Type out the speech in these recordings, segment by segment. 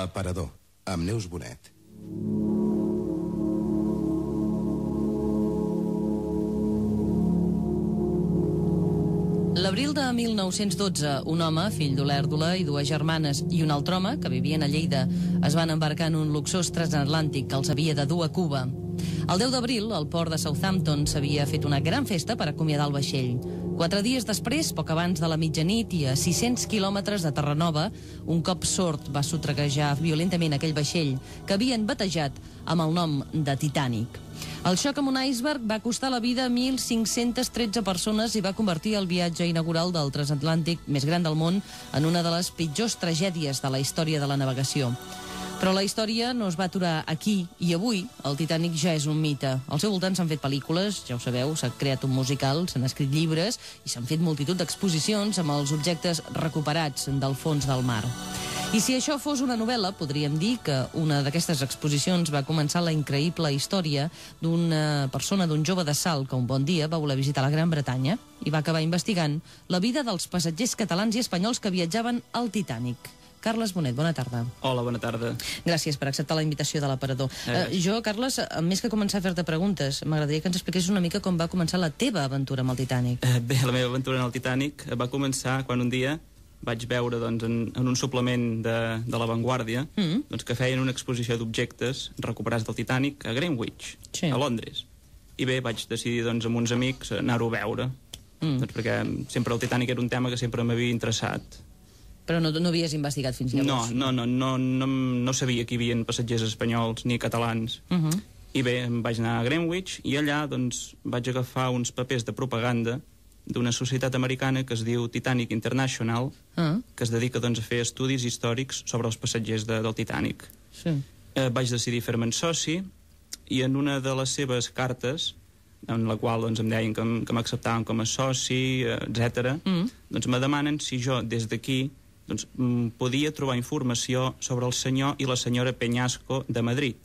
L'aparador, amb Neus Bonet. L'abril de 1912, un home, fill d'Olèrdola, i dues germanes i un altre home, que vivien a Lleida, es van embarcar en un luxós transatlàntic que els havia de dur a Cuba. El 10 d'abril, al port de Southampton s'havia fet una gran festa per acomiadar el vaixell. 4 dies després, poc abans de la mitjanit i a 600 quilòmetres de Terranova, un cop sord va sotreguejar violentament aquell vaixell que havien batejat amb el nom de Titanic. El xoc amb un iceberg va costar la vida a 1.513 persones i va convertir el viatge inaugural del transatlàntic més gran del món en una de les pitjors tragèdies de la història de la navegació. Però la història no es va aturar aquí, i avui el Titanic ja és un mite. Al seu voltant s'han fet pel·lícules, ja ho sabeu, s'ha creat un musical, s'han escrit llibres i s'han fet multitud d'exposicions amb els objectes recuperats del fons del mar. I si això fos una novel·la, podríem dir que una d'aquestes exposicions va començar la increïble història d'una persona, d'un jove de Salt, que un bon dia va voler visitar la Gran Bretanya i va acabar investigant la vida dels passatgers catalans i espanyols que viatjaven al Titanic. Carles Bonet, bona tarda. Hola, bona tarda. Gràcies per acceptar la invitació de l'aparador. Jo, Carles, més que començar a fer-te preguntes, m'agradaria que ens expliquessis una mica com va començar la teva aventura amb el Titanic. Bé, la meva aventura en el Titanic va començar quan un dia vaig veure en un suplement de La Vanguardia que feien una exposició d'objectes recuperats del Titanic a Greenwich, a Londres. I bé, vaig decidir amb uns amics anar-ho a veure, perquè sempre el Titanic era un tema que sempre m'havia interessat. Però no havies investigat fins llavors? No sabia que hi havia passatgers espanyols ni catalans. I bé, em vaig anar a Greenwich i allà vaig agafar uns papers de propaganda d'una societat americana que es diu Titanic International, que es dedica a fer estudis històrics sobre els passatgers del Titanic. Vaig decidir fer-me'n soci i en una de les seves cartes, en la qual em deien que m'acceptaven com a soci, etc., me demanen si jo des d'aquí podia trobar informació sobre el senyor i la senyora Peñasco de Madrid.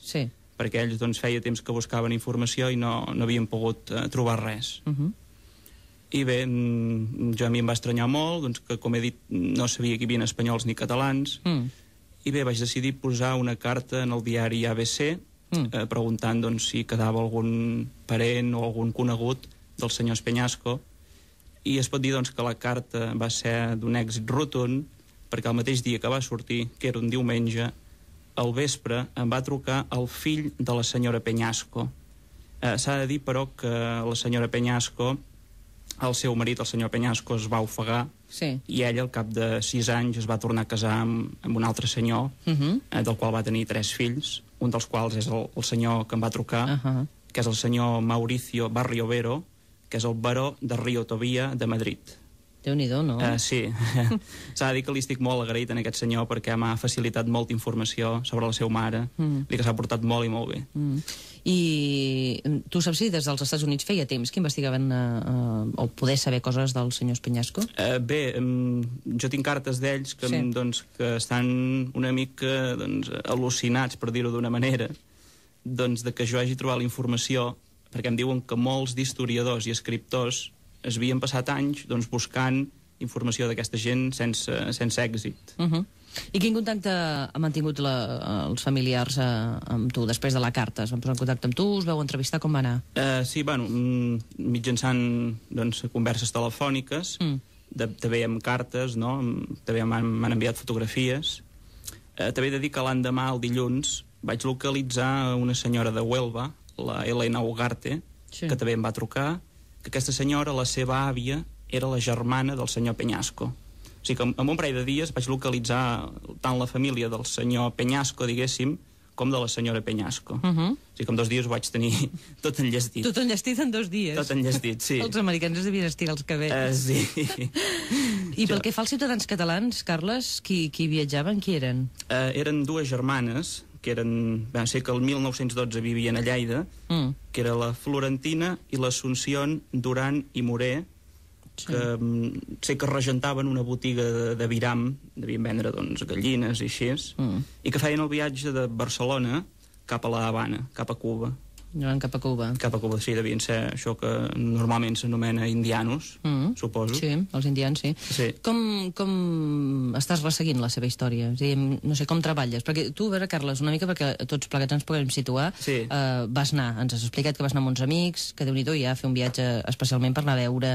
Sí. Perquè ells feia temps que buscaven informació i no havien pogut trobar res. I bé, jo a mi em va estranyar molt, que com he dit no sabia que hi havia espanyols ni catalans, i bé, vaig decidir posar una carta en el diari ABC preguntant si quedava algun parent o algun conegut del senyor Peñasco, i es pot dir que la carta va ser d'un èxit rotund, perquè el mateix dia que va sortir, que era un diumenge, al vespre em va trucar el fill de la senyora Peñasco. S'ha de dir, però, que la senyora Peñasco, el seu marit, el senyor Peñasco, es va ofegar, i ell, al cap de 6 anys, es va tornar a casar amb un altre senyor, del qual va tenir 3 fills, un dels quals és el senyor que em va trucar, que és el senyor Mauricio Barriovero, que és el baró de Río Tobía de Madrid. Déu-n'hi-do, no? Sí. S'ha de dir que li estic molt agraït a aquest senyor perquè m'ha facilitat molta informació sobre la seva mare, i que s'ha portat molt i molt bé. I tu saps si des dels Estats Units feia temps que investigaven o poder saber coses del senyor Peñasco? Bé, jo tinc cartes d'ells que estan una mica al·lucinats, per dir-ho d'una manera, de que jo hagi trobat la informació, perquè em diuen que molts d'historiadors i escriptors es havien passat anys buscant informació d'aquesta gent sense èxit. I quin contacte han mantingut els familiars amb tu després de la carta? Es van posar en contacte amb tu? Us vau entrevistar? Com va anar? Sí, mitjançant converses telefòniques, també amb cartes, també m'han enviat fotografies. També he de dir que l'endemà, el dilluns, vaig localitzar una senyora de Huelva, la Elena Ugarte, que també em va trucar, que aquesta senyora, la seva àvia, era la germana del senyor Peñasco. O sigui que en un parell de dies vaig localitzar tant la família del senyor Peñasco, diguéssim, com de la senyora Peñasco. O sigui que en 2 dies ho vaig tenir tot enllestit. Tot enllestit en 2 dies? Tot enllestit, sí. Els americans es devien estirar els cabells. Sí. I pel que fa als ciutadans catalans, Carles, qui viatjaven, qui eren? Eren 2 germanes, que van ser que el 1912 vivien a Lleida, que era la Florentina i l'Assumpción Duran i Moré, que sé que regentaven una botiga de viram, devien vendre gallines i així, i que feien el viatge de Barcelona cap a la Habana, cap a Cuba. Anant cap a Cuba. Cap a Cuba, sí, devien ser això que normalment s'anomena indianos, suposo. Sí, els indians, sí. Com estàs resseguint la seva història? És a dir, no sé, com treballes? Perquè tu, a veure, Carles, una mica perquè tots plegats ens puguem situar, vas anar, ens has explicat que vas anar amb uns amics, que Déu-n'hi-do ja fer un viatge especialment per anar a veure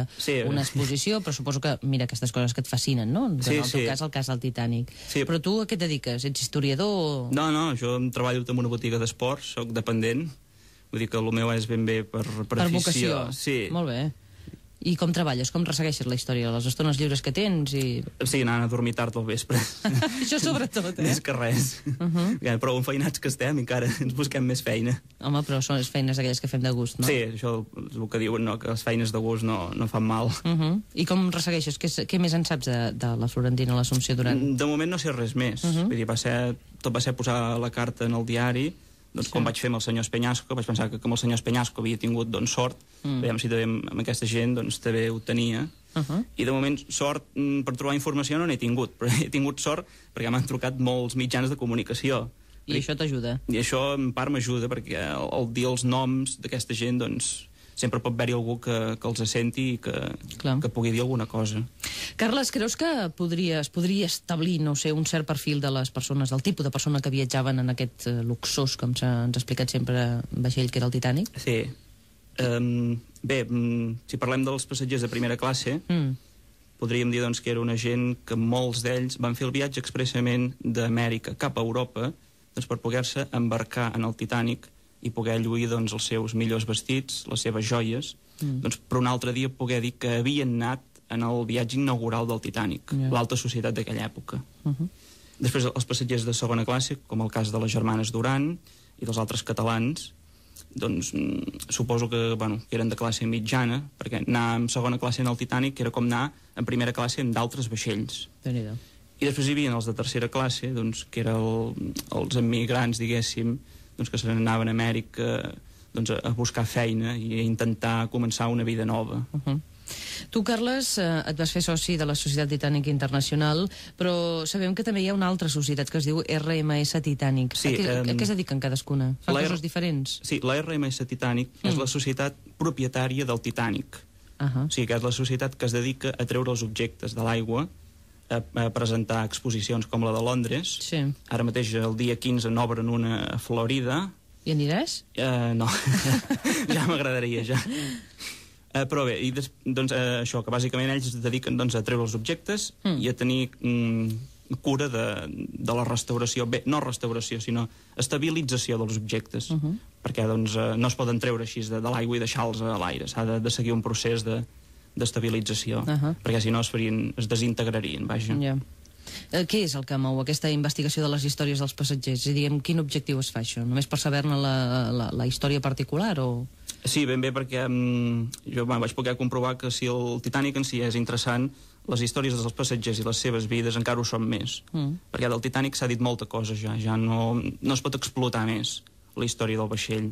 una exposició, però suposo que, mira, aquestes coses que et fascinen, no? En el teu cas, el cas del Titanic. Però tu a què et dediques? Ets historiador? No, jo treballo en una botiga d'esports, soc dependent. Vull dir que el meu és ben bé per afició. Per vocació. Sí. Molt bé. I com treballes? Com ressegueixes la història? Les estones lliures que tens? Sí, anant a dormir tard al vespre. Això sobretot, Més que res. Però enfeinats que estem, encara ens busquem més feina. Home, però són les feines aquelles que fem de gust, no? Sí, això és el que diuen, no? Que les feines de gust no fan mal. I com ressegueixes? Què més en saps de la Florentina l'Assumpció Duran? De moment no sé res més. Vull dir, tot va ser posar la carta en el diari. Doncs quan vaig fer amb el senyor Espenyasco, vaig pensar que com el senyor Espenyasco havia tingut sort, veiem si també amb aquesta gent també ho tenia. I de moment sort per trobar informació no n'he tingut, però he tingut sort perquè m'han trucat molts mitjans de comunicació. I això t'ajuda? I això en part m'ajuda perquè al dir els noms d'aquesta gent sempre pot haver-hi algú que els senti i que pugui dir alguna cosa. Carles, creus que es podria establir, no sé, un cert perfil de les persones, del tipus de persona que viatjaven en aquest luxós, com ens ha explicat sempre, vaixell que era el Titanic? Sí. Bé, si parlem dels passatgers de primera classe, podríem dir que era una gent que molts d'ells van fer el viatge expressament d'Amèrica cap a Europa per poder-se embarcar en el Titanic i poder lluir els seus millors vestits, les seves joies, per un altre dia poder dir que havien anat en el viatge inaugural del Titanic, l'alta societat d'aquella època. Després, els passatgers de segona classe, com el cas de les germanes Duran i dels altres catalans, suposo que eren de classe mitjana, perquè anar en segona classe en el Titanic era com anar en primera classe en d'altres vaixells. I després hi havia els de tercera classe, que eren els emigrants, diguéssim, que se n'anaven a Amèrica a buscar feina i a intentar començar una vida nova. Tu, Carles, et vas fer soci de la Societat Titànica Internacional, però sabem que també hi ha una altra societat que es diu RMS Titànic. A què es dediquen cadascuna? Fan coses diferents? Sí, la RMS Titànic és la societat propietària del Titànic. O sigui que és la societat que es dedica a treure els objectes de l'aigua, a presentar exposicions com la de Londres. Ara mateix, el dia 15, n'obren una a Florida. I aniràs? No, ja m'agradaria, ja. Però bé, això, que bàsicament ells es dediquen a treure els objectes i a tenir cura de la restauració. Bé, no restauració, sinó estabilització dels objectes, perquè no es poden treure així de l'aigua i deixar-los a l'aire. S'ha de seguir un procés d'estabilització, perquè si no es desintegrarien, vaja. Què és el que mou aquesta investigació de les històries dels passatgers? És a dir, amb quin objectiu es fa això? Només per saber-ne la història particular o...? Sí, ben bé, perquè jo vaig poder comprovar que si el Titanic en si és interessant, les històries dels passatgers i les seves vides encara ho són més. Perquè del Titanic s'ha dit molta cosa ja no es pot explotar més la història del vaixell.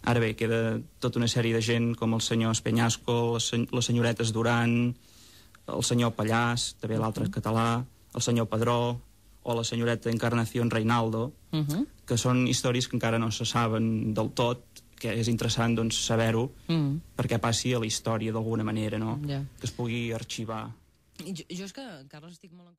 Ara bé, queda tota una sèrie de gent com el senyor Espenyasco, les senyoretes Duran, el senyor Pallàs, també l'altre català, el senyor Padró o la senyoreta Encarnación Reinaldo, que són històries que encara no se saben del tot, que és interessant saber-ho perquè passi a la història d'alguna manera, no? Que es pugui arxivar. Jo és que, Carles, estic molt...